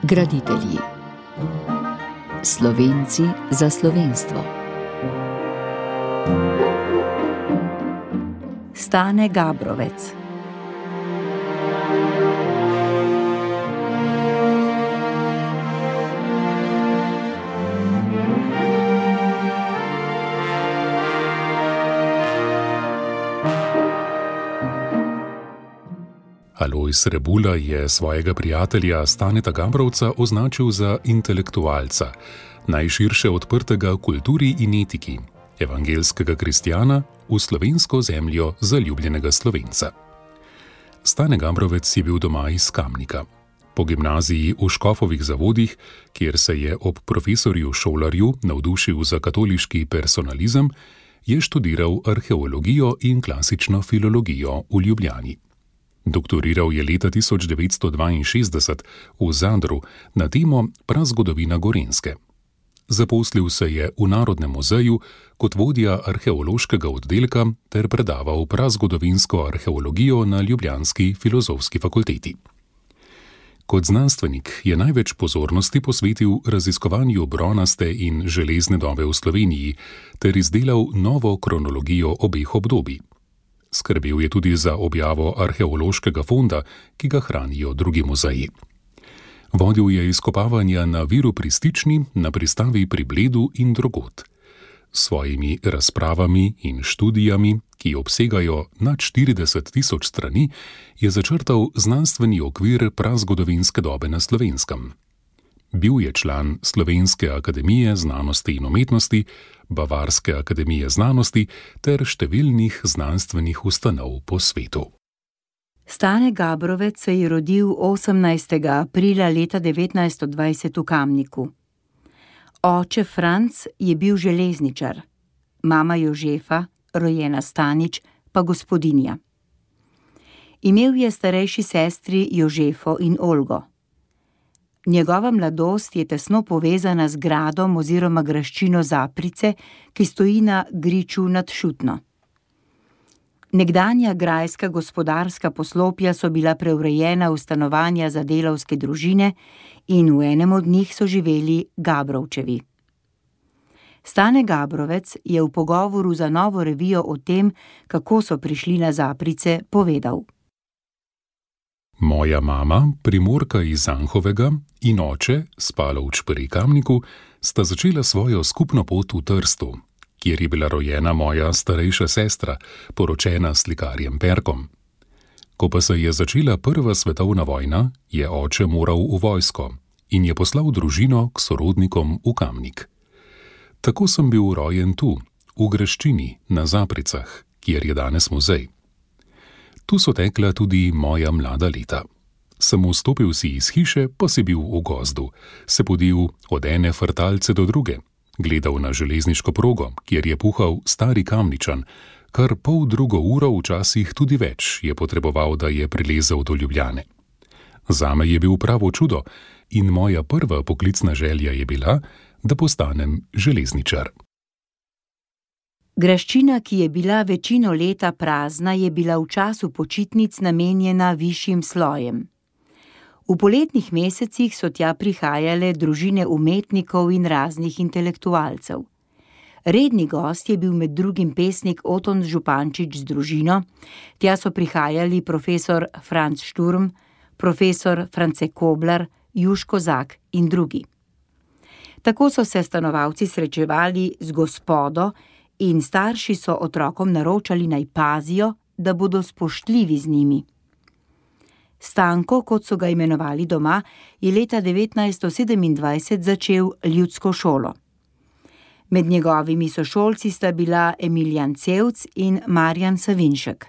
Graditelji. Slovenci za slovenstvo. Stane Gabrovec. Alojz Rebula je svojega prijatelja Staneta Gabrovca označil za intelektualca, najširše odprtega kulturi in etiki, evangelskega kristjana v slovensko zemljo zaljubljenega Slovenca. Stane Gabrovec je bil doma iz Kamnika. Po gimnaziji v Škofovih Zavodih, kjer se je ob profesorju Šolarju navdušil za katoliški personalizem, je študiral arheologijo in klasično filologijo v Ljubljani. Doktoriral je leta 1962 v Zadru na temo Prazgodovina Gorenjske. Zaposlil se je v Narodnem muzeju kot vodja arheološkega oddelka ter predaval prazgodovinsko arheologijo na ljubljanski filozofski fakulteti. Kot znanstvenik je največ pozornosti posvetil raziskovanju bronaste in železne dobe v Sloveniji ter izdelal novo kronologijo obeh obdobij. Skrbel je tudi za objavo arheološkega fonda, ki ga hranijo drugi muzeji. Vodil je izkopavanja na Viru pri Stični, na pristavi pri Bledu in drugod. S svojimi razpravami in študijami, ki obsegajo nad 40.000 strani, je začrtal znanstveni okvir prazgodovinske dobe na Slovenskem. Bil je član Slovenske akademije znanosti in umetnosti, Bavarske akademije znanosti ter številnih znanstvenih ustanov po svetu. Stane Gabrovec se je rodil 18. aprila leta 1920 v Kamniku. Oče Franc je bil železničar, mama Jožefa, rojena Stanič, pa gospodinja. Imel je starejši sestri Jožefo in Olgo. Njegova mladost je tesno povezana z gradom oziroma graščino Zaprice, ki stoji na griču nad Šutno. Nekdanja grajska gospodarska poslopja so bila preurejena v stanovanja za delavske družine in v enem od njih so živeli Gabrovčevi. Stane Gabrovec je v pogovoru za Novo revijo o tem, kako so prišli na Zaprice, povedal: Moja mama, Primorka iz Anhovega, in oče, Spalovč pri Kamniku, sta začela svojo skupno pot v Trstu, kjer je bila rojena moja starejša sestra, poročena s slikarjem Perkom. Ko pa se je začela prva svetovna vojna, je oče moral v vojsko in je poslal družino k sorodnikom v Kamnik. Tako sem bil rojen tu, v graščini, na Zapricah, kjer je danes muzej. Tu so tekla tudi moja mlada leta. Sem vstopil si iz hiše, pa si bil v gozdu, se podil od ene frtalce do druge, gledal na železniško progo, kjer je puhal stari Kamničan, kar 1,5 ure, včasih tudi več, je potreboval, da je prilezel do Ljubljane. Zame je bil pravo čudo in moja prva poklicna želja je bila, da postanem železničar. Graščina, ki je bila večino leta prazna, je bila v času počitnic namenjena višjim slojem. V poletnih mesecih so tja prihajale družine umetnikov in raznih intelektualcev. Redni gost je bil med drugim pesnik Oton Župančič z družino, tja so prihajali profesor Franc Šturm, profesor France Koblar, Juško Zak in drugi. Tako so se stanovalci srečevali z gospodo in starši so otrokom naročali naj pazijo, da bodo spoštljivi z njimi. Stanko, kot so ga imenovali doma, je leta 1927 začel ljudsko šolo. Med njegovimi sošolci sta bila Emilijan Cevc in Marjan Savinšek.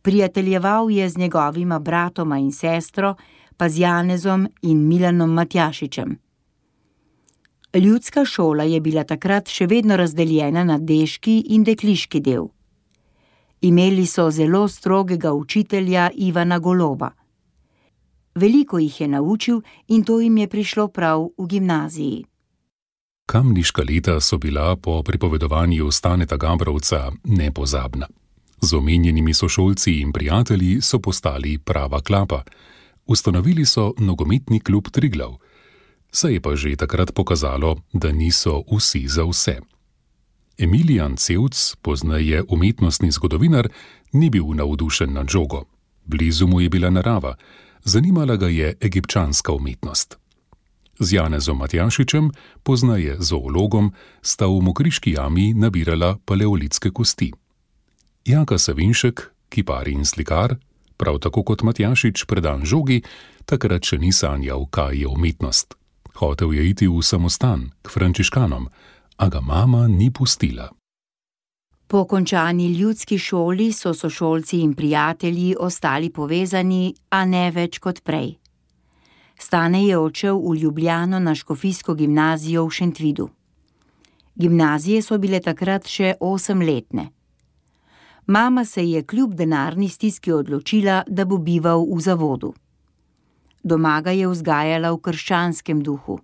Prijateljeval je z njegovima bratoma in sestro, pa z Janezom in Milanom Matjašičem. Ljudska šola je bila takrat še vedno razdeljena na deški in dekliški del. Imeli so zelo strogega učitelja Ivana Goloba. Veliko jih je naučil in to jim je prišlo prav v gimnaziji. Kamniška leta so bila po pripovedovanju Staneta Gabrovca nepozabna. Z omenjenimi sošolci in prijatelji so postali prava klapa. Ustanovili so nogometni klub Triglav. Se je pa že takrat pokazalo, da niso vsi za vse. Emilijan Cevc, pozneje umetnostni zgodovinar, ni bil navdušen nad žogo. Blizu mu je bila narava, zanimala ga je egipčanska umetnost. Z Janezom Matjašičem, pozneje zoologom, sta v Mokriški jami nabirala paleolitske kosti. Jaka Savinšek, kipar in slikar, prav tako kot Matjašič predan žogi, takrat še ni sanjal, kaj je umetnost. Hotel je iti v samostan, k frančiškanom, a ga mama ni pustila. Po končani ljudski šoli so sošolci in prijatelji ostali povezani, a ne več kot prej. Stane je odšel v Ljubljano na škofijsko gimnazijo v Šentvidu. Gimnazije so bile takrat še 8-letne. Mama se je kljub denarni stiski odločila, da bo bival v zavodu. Doma ga je vzgajala v krščanskem duhu.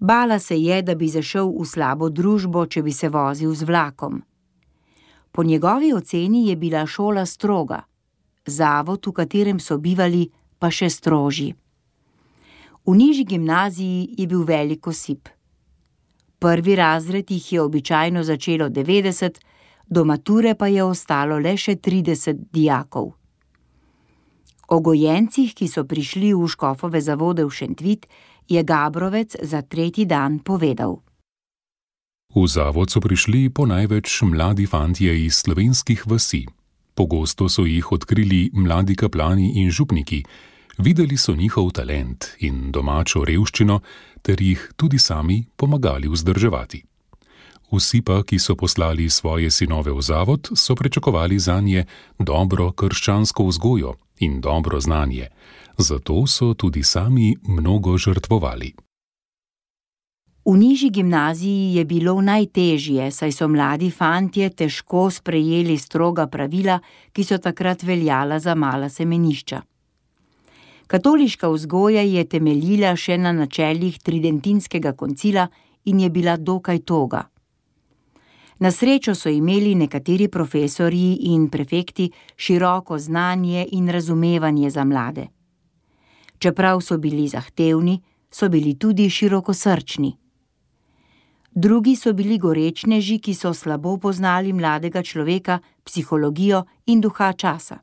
Bala se je, da bi zašel v slabo družbo, če bi se vozil z vlakom. Po njegovi oceni je bila šola stroga, zavod, v katerem so bivali, pa še strožji. V nižji gimnaziji je bil velik osip. Prvi razred jih je običajno začelo 90, do mature pa je ostalo le še 30 dijakov. O gojencih, ki so prišli v škofove zavode v Šentvid, je Gabrovec za 3. dan povedal. V zavod so prišli po največ mladi fantje iz slovenskih vasi. Pogosto so jih odkrili mladi kaplani in župniki, videli so njihov talent in domačo revščino ter jih tudi sami pomagali vzdrževati. Vsi pa, ki so poslali svoje sinove v zavod, so pričakovali zanje dobro krščansko vzgojo in dobro znanje, zato so tudi sami mnogo žrtvovali. V nižji gimnaziji je bilo najtežje, saj so mladi fantje težko sprejeli stroga pravila, ki so takrat veljala za mala semenišča. Katoliška vzgoja je temeljila še na načelih tridentinskega koncila in je bila dokaj toga. Na srečo so imeli nekateri profesorji in prefekti široko znanje in razumevanje za mlade. Čeprav so bili zahtevni, so bili tudi širokosrčni. Drugi so bili gorečneži, ki so slabo poznali mladega človeka, psihologijo in duha časa.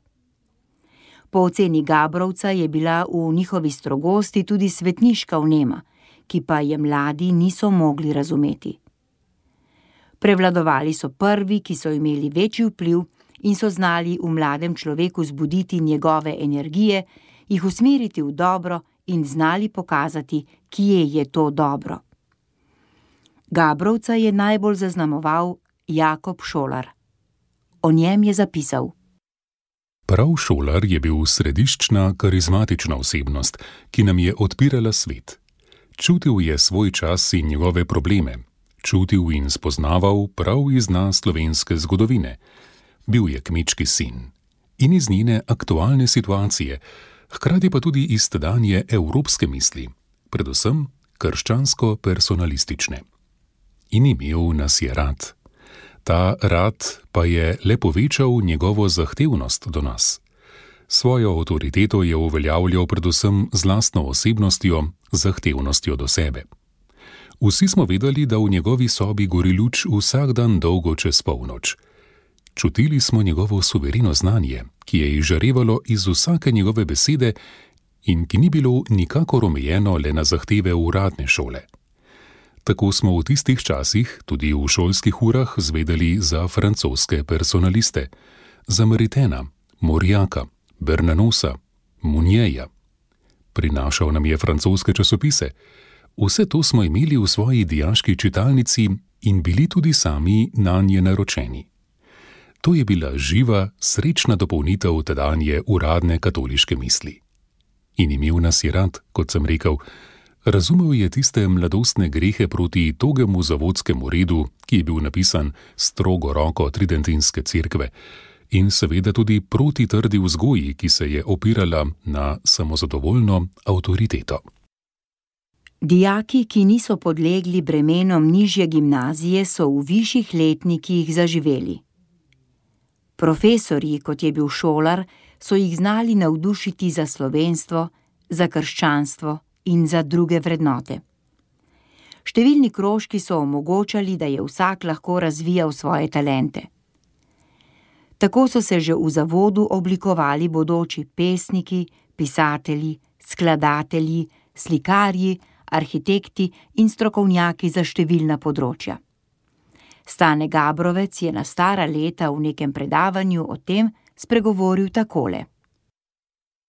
Po oceni Gabrovca je bila v njihovi strogosti tudi svetniška vnema, ki pa je mladi niso mogli razumeti. Prevladovali so prvi, ki so imeli večji vpliv in so znali v mladem človeku zbuditi njegove energije, jih usmeriti v dobro in znali pokazati, kje je to dobro. Gabrovca je najbolj zaznamoval Jakob Šolar. O njem je zapisal. Prav Šolar je bil središčna, karizmatična osebnost, ki nam je odpirala svet. Čutil je svoj čas in njegove probleme. Čutil in spoznaval prav iz dna slovenske zgodovine. Bil je kmečki sin in iz njene aktualne situacije, hkrati pa tudi iz tedanje evropske misli, predvsem krščansko-personalistične. In imel nas je rad. Ta rad pa je le povečal njegovo zahtevnost do nas. Svojo avtoriteto je uveljavljal predvsem z lastno osebnostjo, zahtevnostjo do sebe. Vsi smo vedeli, da v njegovi sobi gori luč vsak dan dolgo čez polnoč. Čutili smo njegovo suvereno znanje, ki je izžarevalo iz vsake njegove besede in ki ni bilo nikakor omejeno le na zahteve uradne šole. Tako smo v tistih časih, tudi v šolskih urah, zvedeli za francoske personaliste, za Maritena, Morjaka, Bernanosa, Munjeja. Prinašal nam je francoske časopise. Vse to smo imeli v svoji dijaški čitalnici in bili tudi sami nanje naročeni. To je bila živa, srečna dopolnitev tedanje uradne katoliške misli. In imel nas je rad, kot sem rekel, razumel je tiste mladostne grehe proti togemu zavodskemu redu, ki je bil napisan strogo roko tridentinske cerkve, in seveda tudi proti trdi vzgoji, ki se je opirala na samozadovoljno avtoriteto. Dijaki, ki niso podlegli bremenom nižje gimnazije, so v višjih letnikih zaživeli. Profesorji, kot je bil Šolar, so jih znali navdušiti za slovenstvo, za krščanstvo in za druge vrednote. Številni krožki so omogočali, da je vsak lahko razvijal svoje talente. Tako so se že v zavodu oblikovali bodoči pesniki, pisatelji, skladatelji, slikarji, arhitekti in strokovnjaki za številna področja. Stane Gabrovec je na stara leta v nekem predavanju o tem spregovoril takole.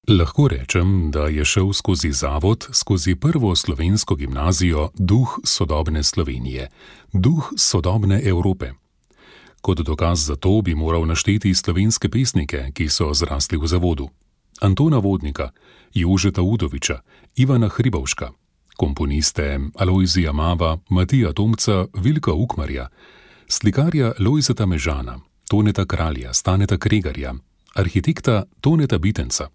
Lahko rečem, da je šel skozi zavod, skozi prvo slovensko gimnazijo duh sodobne Slovenije, duh sodobne Evrope. Kot dokaz za to bi moral našteti slovenske pesnike, ki so zrasli v zavodu. Antona Vodnika, Jožeta Udoviča, Ivana Hribovška, komponiste Alojzija Mava, Matija Tomca, Vilka Ukmarja, slikarja Lojzeta Mežana, Toneta Kralja, Staneta Kregarja, arhitekta Toneta Bitenca.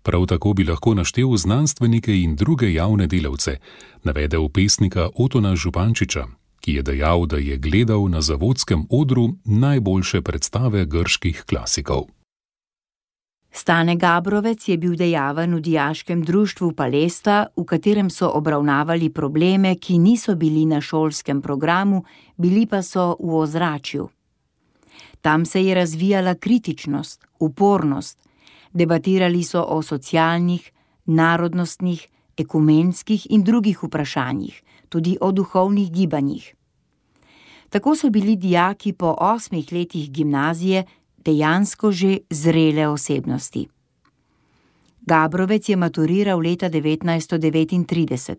Prav tako bi lahko naštel znanstvenike in druge javne delavce, navedel pesnika Otona Župančiča, ki je dejal, da je gledal na zavodskem odru najboljše predstave grških klasikov. Stane Gabrovec je bil dejaven v dijaškem društvu Palesta, v katerem so obravnavali probleme, ki niso bili na šolskem programu, bili pa so v ozračju. Tam se je razvijala kritičnost, upornost, debatirali so o socialnih, narodnostnih, ekumenskih in drugih vprašanjih, tudi o duhovnih gibanjih. Tako so bili dijaki po 8 letih gimnazije dejansko že zrele osebnosti. Gabrovec je maturiral leta 1939.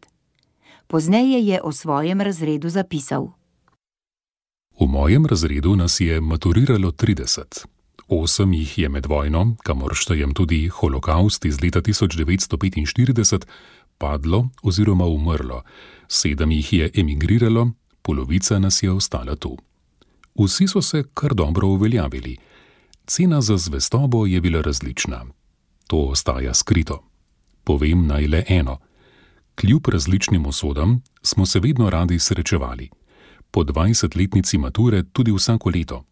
Pozneje je o svojem razredu zapisal. V mojem razredu nas je maturiralo 30. 8 jih je med vojno, kamor štejem tudi holokavst iz leta 1945, padlo oziroma umrlo, 7 jih je emigriralo, polovica nas je ostala tu. Vsi so se kar dobro uveljavili. Cena za zvestobo je bila različna. To ostaja skrito. Povem naj le eno. Kljub različnim usodam smo se vedno radi srečevali. Po 20-letnici mature tudi vsako leto.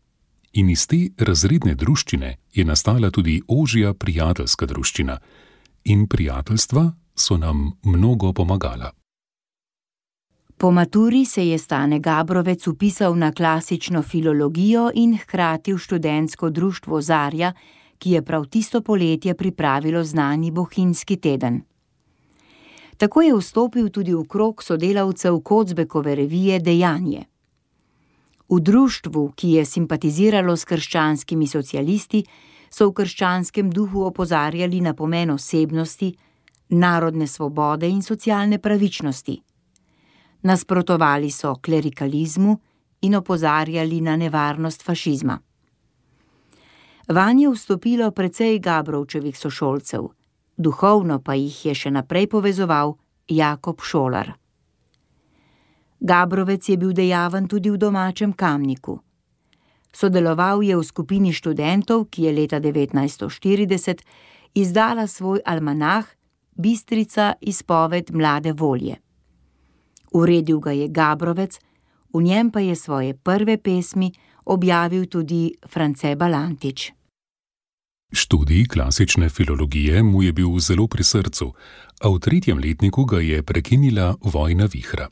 In iz te razredne druščine je nastala tudi ožja prijateljska druščina. In prijateljstva so nam mnogo pomagala. Po maturi se je Stane Gabrovec vpisal na klasično filologijo in hkrati v študentsko društvo Zarja, ki je prav tisto poletje pripravilo znani Bohinjski teden. Tako je vstopil tudi v krog sodelavcev Kocbekove revije Dejanje. V društvu, ki je simpatiziralo s krščanskimi socialisti, so v krščanskem duhu opozarjali na pomen osebnosti, narodne svobode in socialne pravičnosti. Nasprotovali so klerikalizmu in opozarjali na nevarnost fašizma. Vanje je vstopilo precej Gabrovčevih sošolcev, duhovno pa jih je še naprej povezoval Jakob Šolar. Gabrovec je bil dejaven tudi v domačem Kamniku. Sodeloval je v skupini študentov, ki je leta 1940 izdala svoj almanah Bistrica izpoved mlade volje. Uredil ga je Gabrovec, v njem pa je svoje prve pesmi objavil tudi France Balantič. Študij klasične filologije mu je bil zelo pri srcu, a v 3. letniku ga je prekinila vojna vihra.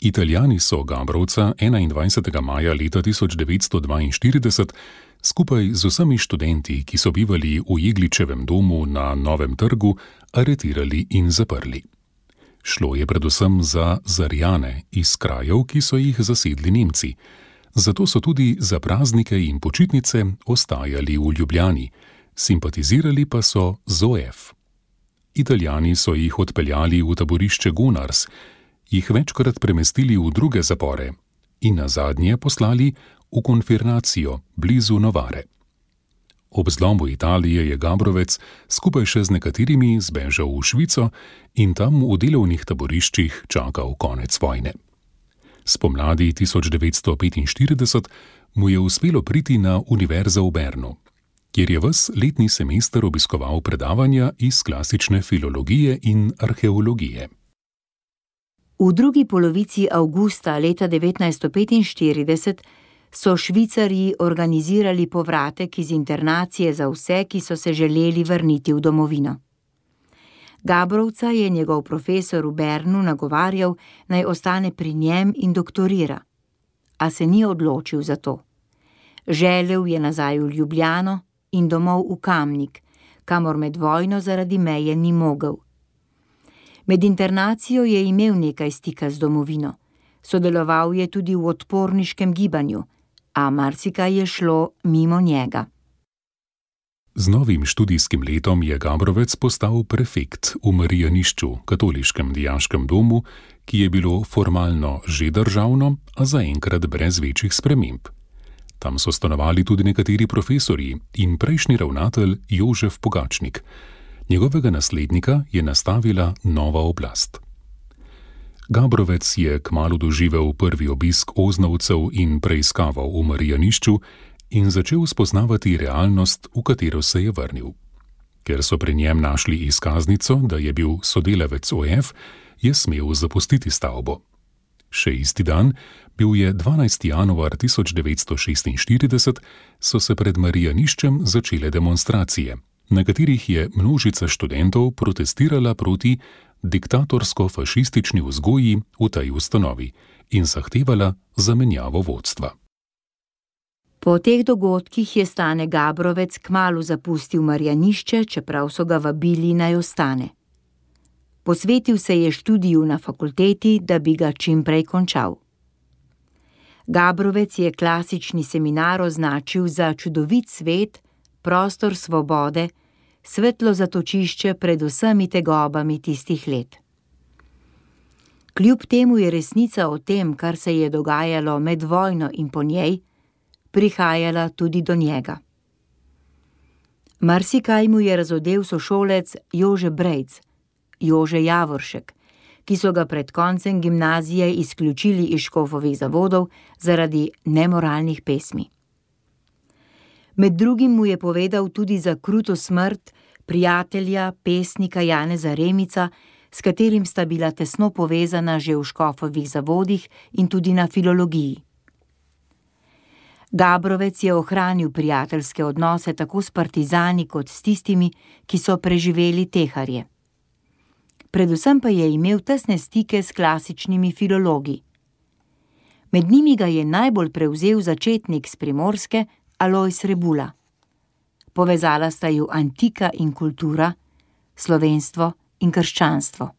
Italijani so Gabrovca 21. maja leta 1942 skupaj z vsemi študenti, ki so bivali v Jegličevem domu na Novem trgu, aretirali in zaprli. Šlo je predvsem za Zarjane iz krajev, ki so jih zasedli Nemci. Zato so tudi za praznike in počitnice ostajali v Ljubljani, simpatizirali pa so z OF. Italijani so jih odpeljali v taborišče Gonars, jih večkrat premestili v druge zapore in nazadnje poslali v konfirmacijo blizu Novare. Ob zlomu Italije je Gabrovec skupaj še z nekaterimi zbežal v Švico in tam v delovnih taboriščih čakal konec vojne. Spomladi 1945 mu je uspelo priti na univerzo v Bernu, kjer je ves letni semester obiskoval predavanja iz klasične filologije in arheologije. V drugi polovici avgusta leta 1945 so Švicarji organizirali povratek iz internacije za vse, ki so se želeli vrniti v domovino. Gabrovca je njegov profesor v Bernu nagovarjal, naj ostane pri njem in doktorira, a se ni odločil za to. Želel je nazaj v Ljubljano in domov v Kamnik, kamor med vojno zaradi meje ni mogel. Med internacijo je imel nekaj stika z domovino. Sodeloval je tudi v odporniškem gibanju, a marsikaj je šlo mimo njega. Z novim študijskim letom je Gabrovec postal prefekt v Marijanišču, katoliškem dijaškem domu, ki je bilo formalno že državno, a zaenkrat brez večjih sprememb. Tam so stanovali tudi nekateri profesorji in prejšnji ravnatelj Jožef Pogačnik. Njegovega naslednika je nastavila nova oblast. Gabrovec je kmalu doživel prvi obisk oznovcev in preiskaval v Marijanišču in začel spoznavati realnost, v katero se je vrnil. Ker so pri njem našli izkaznico, da je bil sodelavec OF, je smel zapustiti stavbo. Še isti dan, bil je 12. januar 1946, so se pred Marijaniščem začele demonstracije, na katerih je množica študentov protestirala proti diktatorsko-fašistični vzgoji v tej ustanovi in zahtevala zamenjavo vodstva. Po teh dogodkih je Stane Gabrovec kmalu zapustil Marijanišče, čeprav so ga vabili naj ostane. Posvetil se je študiju na fakulteti, da bi ga čim prej končal. Gabrovec je klasični seminar označil za čudovit svet, prostor svobode, svetlo zatočišče pred vsemi tegobami tistih let. Kljub temu je resnica o tem, kar se je dogajalo med vojno in po njej, prihajala tudi do njega. Marsikaj mu je razodel sošolec Jože Brejc, Jože Javoršek, ki so ga pred koncem gimnazije izključili iz Škofovih zavodov zaradi nemoralnih pesmi. Med drugim mu je povedal tudi za kruto smrt prijatelja, pesnika Janeza Remica, s katerim sta bila tesno povezana že v Škofovih zavodih in tudi na filologiji. Gabrovec je ohranil prijateljske odnose tako s partizani kot s tistimi, ki so preživeli teharje. Predvsem pa je imel tesne stike s klasičnimi filologi. Med njimi ga je najbolj prevzel začetnik s Primorske, Alojz Rebula. Povezala sta ju antika in kultura, slovenstvo in krščanstvo.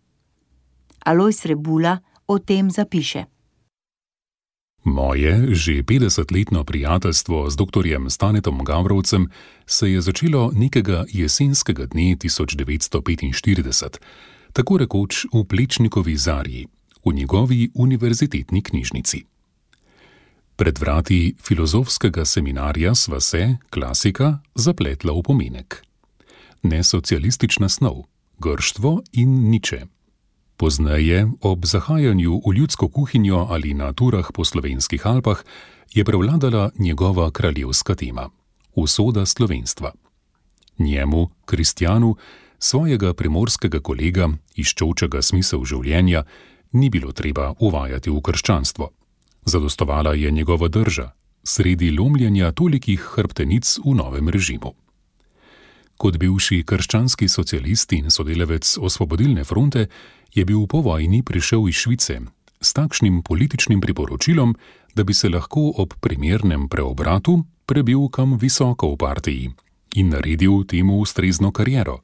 Alojz Rebula o tem zapiše. Moje že 50-letno prijateljstvo z doktorjem Stanetom Gabrovcem se je začelo nekega jesenskega dne 1945, tako rekoč v Plečnikovi Zarji, v njegovi univerzitetni knjižnici. Pred vrati filozofskega seminarja sva se, klasika, zapletla v pomenek. Nesocialistična snov, grštvo in Niče. Pozneje, ob zahajanju v ljudsko kuhinjo ali na turah po slovenskih Alpah, je prevladala njegova kraljevska tema – usoda slovenstva. Njemu, Kristjanu, svojega primorskega kolega, iščočega smisel življenja, ni bilo treba uvajati v krščanstvo. Zadostovala je njegova drža, sredi lomljenja tolikih hrbtenic v novem režimu. Kot bivši krščanski socialist in sodelavec Osvobodilne fronte je bil po vojni prišel iz Švice s takšnim političnim priporočilom, da bi se lahko ob primernem preobratu prebil kam visoko v partiji in naredil temu ustrezno kariero.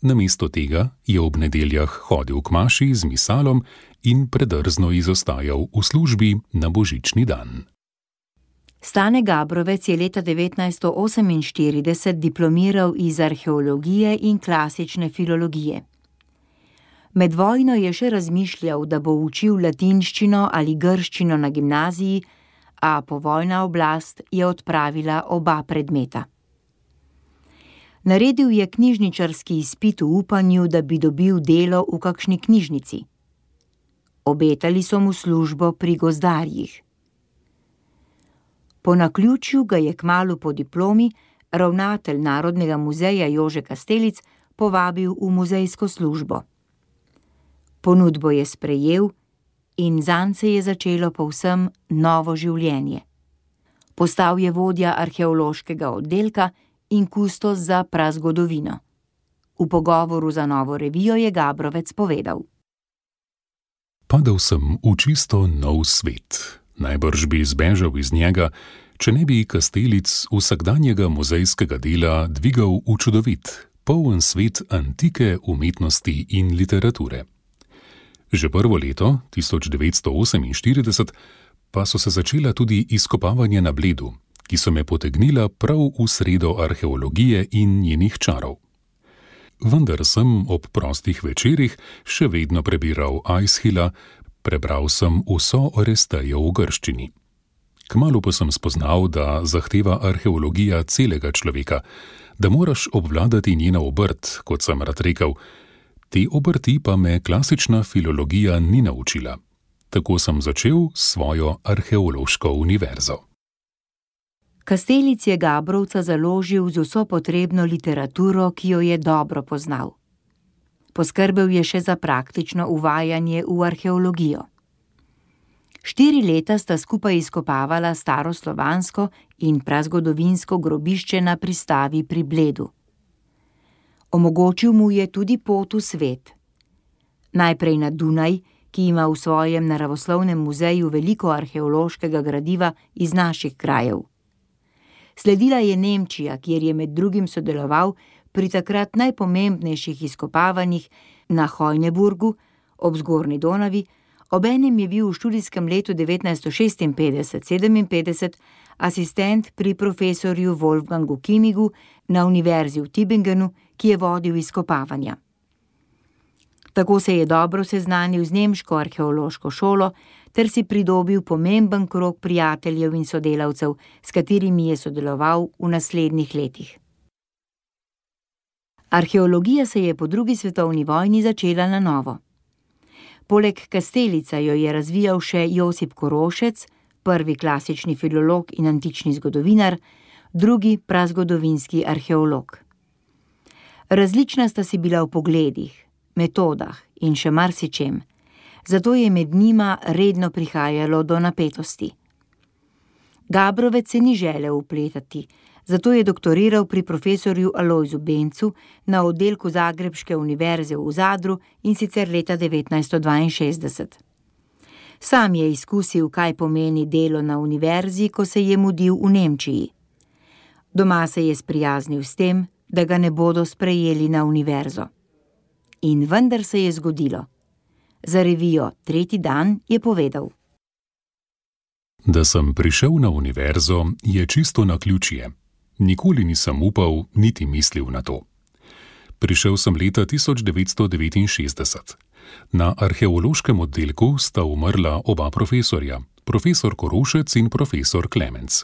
Namesto tega je ob nedeljah hodil k maši z misalom in predrzno izostajal v službi na božični dan. Stane Gabrovec je leta 1948 diplomiral iz arheologije in klasične filologije. Med vojno je še razmišljal, da bo učil latinščino ali grščino na gimnaziji, a povojna oblast je odpravila oba predmeta. Naredil je knjižničarski izpit v upanju, da bi dobil delo v kakšni knjižnici. Obetali so mu službo pri gozdarjih. Po naključju ga je kmalu po diplomi ravnatelj Narodnega muzeja Jože Kastelic povabil v muzejsko službo. Ponudbo je sprejel in zanj se je začelo povsem novo življenje. Postal je vodja arheološkega oddelka in kustos za prazgodovino. V pogovoru za Novo revijo je Gabrovec povedal: Padel sem v čisto nov svet. Najbrž bi zbežal iz njega, če ne bi Kastelic vsakdanjega muzejskega dela dvigal v čudovit, poln svet antike, umetnosti in literature. Že prvo leto, 1948, pa so se začela tudi izkopavanja na Bledu, ki so me potegnila prav v sredo arheologije in njenih čarov. Vendar sem ob prostih večerih še vedno prebiral Aishila, prebral sem vso Orestejo v grščini. Kmalu pa sem spoznal, da zahteva arheologija celega človeka, da moraš obvladati njeno obrt, kot sem rad rekel. Te obrti pa me klasična filologija ni naučila. Tako sem začel svojo arheološko univerzo. Kastelic je Gabrovca založil z vso potrebno literaturo, ki jo je dobro poznal. Poskrbel je še za praktično uvajanje v arheologijo. 4 leta sta skupaj izkopavala staroslovansko in prazgodovinsko grobišče na pristavi pri Bledu. Omogočil mu je tudi pot v svet. Najprej na Dunaj, ki ima v svojem naravoslovnem muzeju veliko arheološkega gradiva iz naših krajev. Sledila je Nemčija, kjer je med drugim sodeloval pri takrat najpomembnejših izkopavanjih na Hojneburgu ob Zgornji Donavi, obenem je bil v študijskem letu 1956-57 asistent pri profesorju Wolfgangu Kimigu na univerzi v Tübingenu, ki je vodil izkopavanja. Tako se je dobro seznanil z nemško arheološko šolo ter si pridobil pomemben krog prijateljev in sodelavcev, s katerimi je sodeloval v naslednjih letih. Arheologija se je po 2. svetovni vojni začela na novo. Poleg Kastelica jo je razvijal še Josip Korošec, prvi klasični filolog in antični zgodovinar, drugi prazgodovinski arheolog. Različna sta si bila v pogledih, metodah in še marsičem, zato je med njima redno prihajalo do napetosti. Gabrovec se ni želel vpletati, zato je doktoriral pri profesorju Alojzu Bencu na oddelku Zagrebške univerze v Zadru in sicer leta 1962. Sam je izkusil, kaj pomeni delo na univerzi, ko se je mudil v Nemčiji. Doma se je sprijaznil s tem, da ga ne bodo sprejeli na univerzo. In vendar se je zgodilo. Za revijo Tretji dan je povedal: Da sem prišel na univerzo, je čisto naključje. Nikoli nisem upal, niti mislil na to. Prišel sem leta 1969. Na arheološkem oddelku sta umrla oba profesorja, profesor Korošec in profesor Klemenc.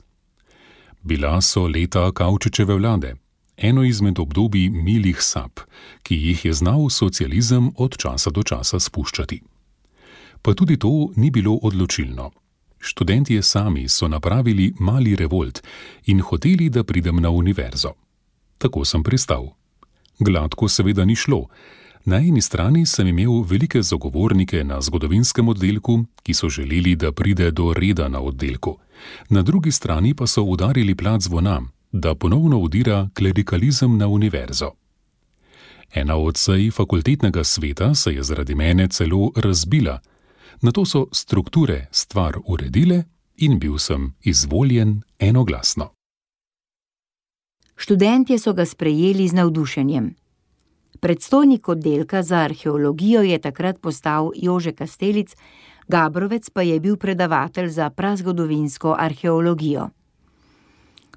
Bila so leta Kavčičeve vlade, eno izmed obdobij milih sap, ki jih je znal socializem od časa do časa spuščati. Pa tudi to ni bilo odločilno. Študentje sami so napravili mali revolt in hoteli, da pridem na univerzo. Tako sem pristal. Gladko seveda ni šlo. Na eni strani sem imel velike zagovornike na zgodovinskem oddelku, ki so želeli, da pride do reda na oddelku. Na drugi strani pa so udarili plat zvona, da ponovno udira klerikalizem na univerzo. Ena od sej fakultetnega sveta se je zaradi mene celo razbila. Nato so strukture stvar uredile in bil sem izvoljen enoglasno. Študentje so ga sprejeli z navdušenjem. Predstojnik oddelka za arheologijo je takrat postal Jože Kastelic, Gabrovec pa je bil predavatelj za prazgodovinsko arheologijo.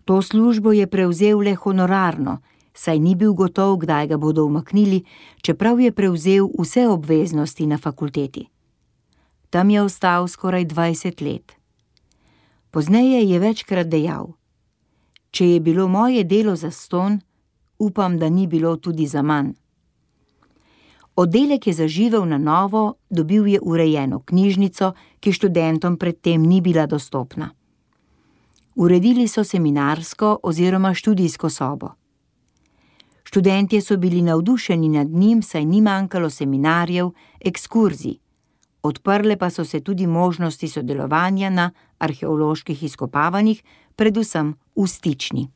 To službo je prevzel le honorarno, saj ni bil gotov, kdaj ga bodo umaknili, čeprav je prevzel vse obveznosti na fakulteti. Tam je ostal skoraj 20 let. Pozneje je večkrat dejal: Če je bilo moje delo zastonj, upam, da ni bilo tudi zaman. Oddelek je zaživel na novo, dobil je urejeno knjižnico, ki študentom predtem ni bila dostopna. Uredili so seminarsko oziroma študijsko sobo. Študentje so bili navdušeni nad njim, saj ni manjkalo seminarjev, ekskurzij. odprle pa so se tudi možnosti sodelovanja na arheoloških izkopavanjih, predvsem v Stični.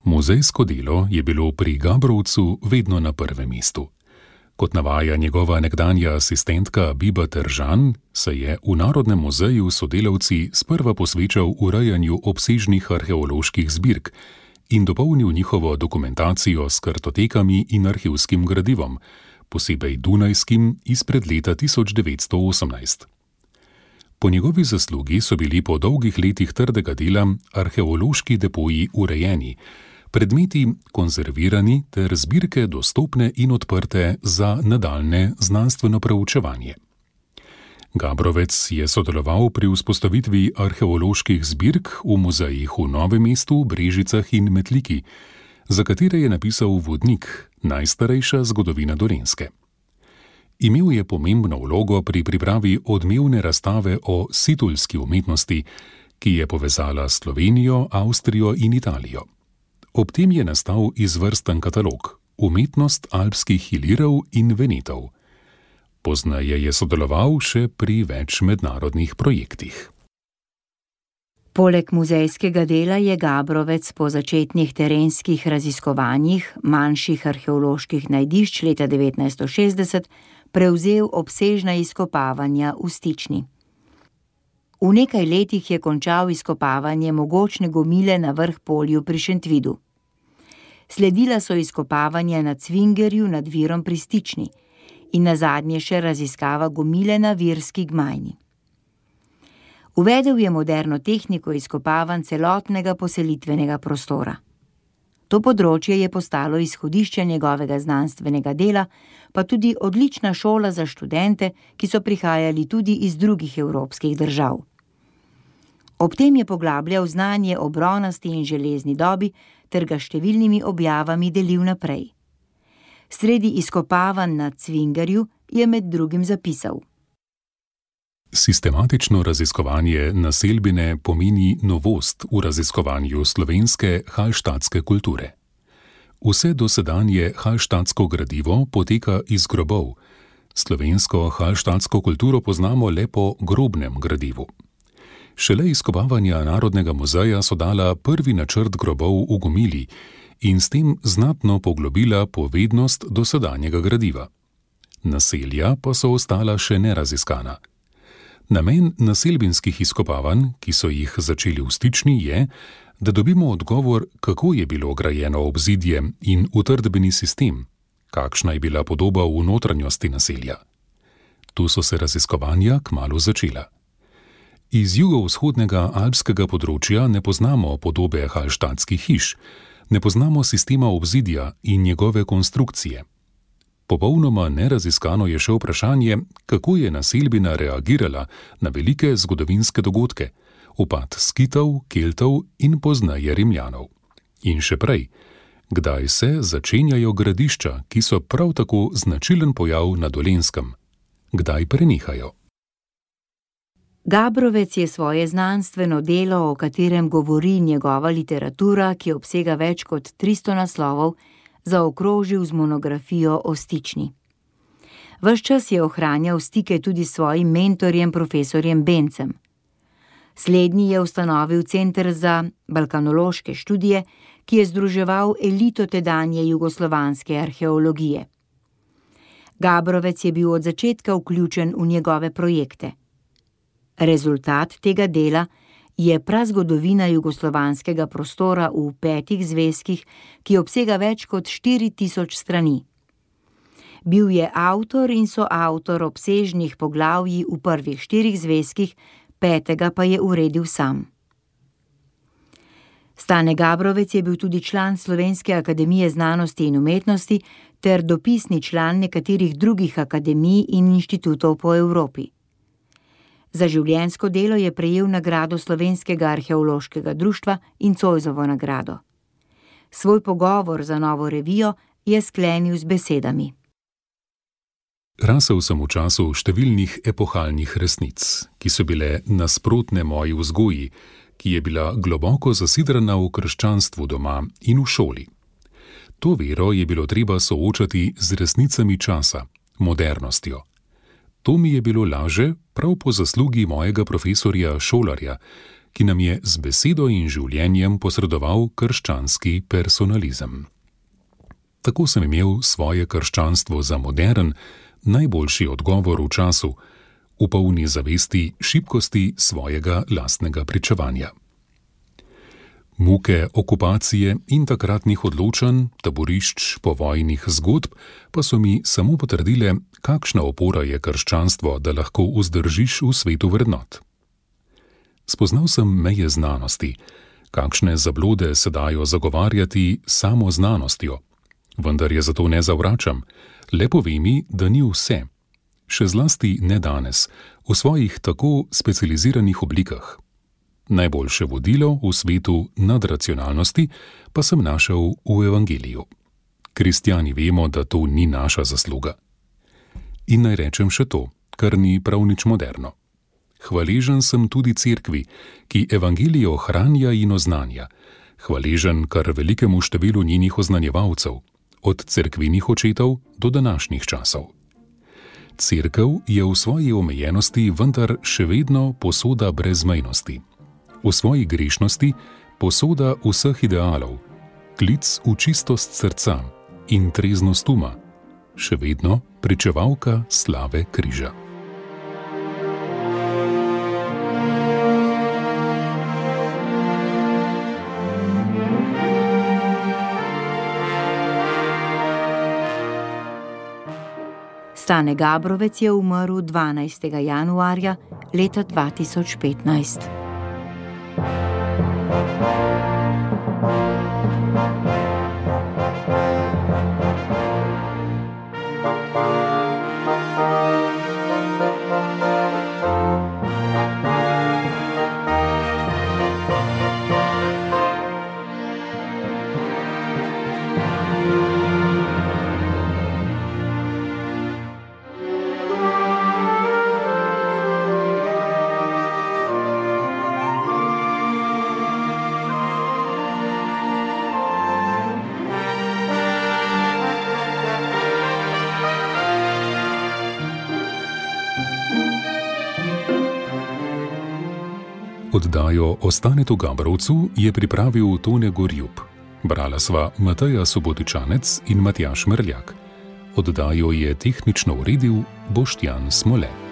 Muzejsko delo je bilo pri Gabrovcu vedno na prvem mestu. Kot navaja njegova nekdanja asistentka Biba Teržan, se je v Narodnem muzeju s sodelavci sprva posvečal urejanju obsežnih arheoloških zbirk in dopolnil njihovo dokumentacijo s kartotekami in arhivskim gradivom, posebej dunajskim izpred leta 1918. Po njegovi zaslugi so bili po dolgih letih trdega dela arheološki depoji urejeni, predmeti konzervirani ter zbirke dostopne in odprte za nadaljne znanstveno preučevanje. Gabrovec je sodeloval pri vzpostavitvi arheoloških zbirk v muzejih v Novem mestu, Brežicah in Metliki, za katere je napisal vodnik Najstarejša zgodovina Dolenjske. Imel je pomembno vlogo pri pripravi odmevne razstave o situlski umetnosti, ki je povezala Slovenijo, Avstrijo in Italijo. Ob tem je nastal izvrsten katalog Umetnost alpskih ilirov in venetov. Pozneje je sodeloval še pri več mednarodnih projektih. Poleg muzejskega dela je Gabrovec po začetnih terenskih raziskovanjih manjših arheoloških najdišč leta 1960 prevzel obsežna izkopavanja v Stični. V nekaj letih je končal izkopavanje mogočne gomile na Vrhpolju pri Šentvidu. Sledila so izkopavanja na Cvingerju nad Virom pri Stični in nazadnje še raziskava gomile na Virski gmajni. Uvedel je moderno tehniko izkopavanj celotnega poselitvenega prostora. To področje je postalo izhodišče njegovega znanstvenega dela, pa tudi odlična šola za študente, ki so prihajali tudi iz drugih evropskih držav. Ob tem je poglabljal znanje o bronasti in železni dobi ter ga številnimi objavami delil naprej. Sredi izkopavanj na Cvingerju je med drugim zapisal: Sistematično raziskovanje naselbine pomeni novost v raziskovanju slovenske halštatske kulture. Vse dosedanje halštatsko gradivo poteka iz grobov. Slovensko halštatsko kulturo poznamo le po grobnem gradivu. Šele izkopavanja Narodnega muzeja so dala prvi načrt grobov v gomili in s tem znatno poglobila povednost dosedanjega gradiva. Naselja pa so ostala še neraziskana. Namen naselbinskih izkopavanj, ki so jih začeli v Stični, je, da dobimo odgovor, kako je bilo grajeno obzidje in utrdbeni sistem, kakšna je bila podoba v notranjosti naselja. Tu so se raziskovanja kmalu začela. Iz jugovzhodnega alpskega področja ne poznamo podobe halštatskih hiš, ne poznamo sistema obzidja in njegove konstrukcije. Popolnoma neraziskano je še vprašanje, kako je naselbina reagirala na velike zgodovinske dogodke, upad Skitov, Keltov in pozneje Rimljanov. In še prej, kdaj se začenjajo gradišča, ki so prav tako značilen pojav na Dolenjskem? Kdaj prenehajo? Gabrovec je svoje znanstveno delo, o katerem govori njegova literatura, ki obsega več kot 300 naslovov, zaokrožil z monografijo o Stični. Ves čas je ohranjal stike tudi s svojim mentorjem, profesorjem Bencem. Slednji je ustanovil Center za balkanološke študije, ki je združeval elito tedanje jugoslovanske arheologije. Gabrovec je bil od začetka vključen v njegove projekte. Rezultat tega dela je prazgodovina jugoslovanskega prostora v 5 zvezkih, ki obsega več kot 4000 strani. Bil je avtor in soavtor obsežnih poglavji v prvih 4 zvezkih, 5. pa je uredil sam. Stane Gabrovec je bil tudi član Slovenske akademije znanosti in umetnosti ter dopisni član nekaterih drugih akademij in inštitutov po Evropi. Za življenjsko delo je prejel nagrado Slovenskega arheološkega društva in Zoisovo nagrado. Svoj pogovor za Novo revijo je sklenil z besedami: Rasel sem v času številnih epohalnih resnic, ki so bile nasprotne moji vzgoji, ki je bila globoko zasidrana v krščanstvu doma in v šoli. To vero je bilo treba soočati z resnicami časa, modernostjo. To mi je bilo laže prav po zaslugi mojega profesorja Šolarja, ki nam je z besedo in življenjem posredoval krščanski personalizem. Tako sem imel svoje krščanstvo za modern, najboljši odgovor v času, v polni zavesti šibkosti svojega lastnega pričevanja. Muke okupacije in takratnih odločanj, taborišč, povojnih zgodb pa so mi samo potrdile, kakšna opora je krščanstvo, da lahko vzdržiš v svetu vrednot. Spoznal sem meje znanosti, kakšne zablode se dajo zagovarjati samo znanostjo, vendar je zato ne zavračam, le povej mi, da ni vse, še zlasti ne danes, v svojih tako specializiranih oblikah. Najboljše vodilo v svetu nadracionalnosti pa sem našel v Evangeliju. Kristjani vemo, da to ni naša zasluga. In naj rečem še to, kar ni prav nič moderno. Hvaležen sem tudi cerkvi, ki Evangelijo hranja in oznanja, hvaležen kar velikemu številu njenih oznanjevalcev, od cerkvenih očetov do današnjih časov. Cerkev je v svoji omejenosti vendar še vedno posoda brezmejnosti. V svoji grešnosti posoda vseh idealov, klic v čistost srca in treznost uma, še vedno pričevalka slave križa. Stane Gabrovec je umrl 12. januarja leta 2015. Oddajo o Stanetu Gabrovcu je pripravil Tone Gorjup. Brala sva Mateja Subotičanec in Matjaž Merljak. Oddajo je tehnično uredil Boštjan Smole.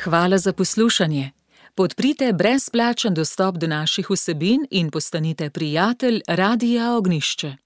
Hvala za poslušanje. Podprite brezplačen dostop do naših vsebin in postanite prijatelj Radia Ognjišče.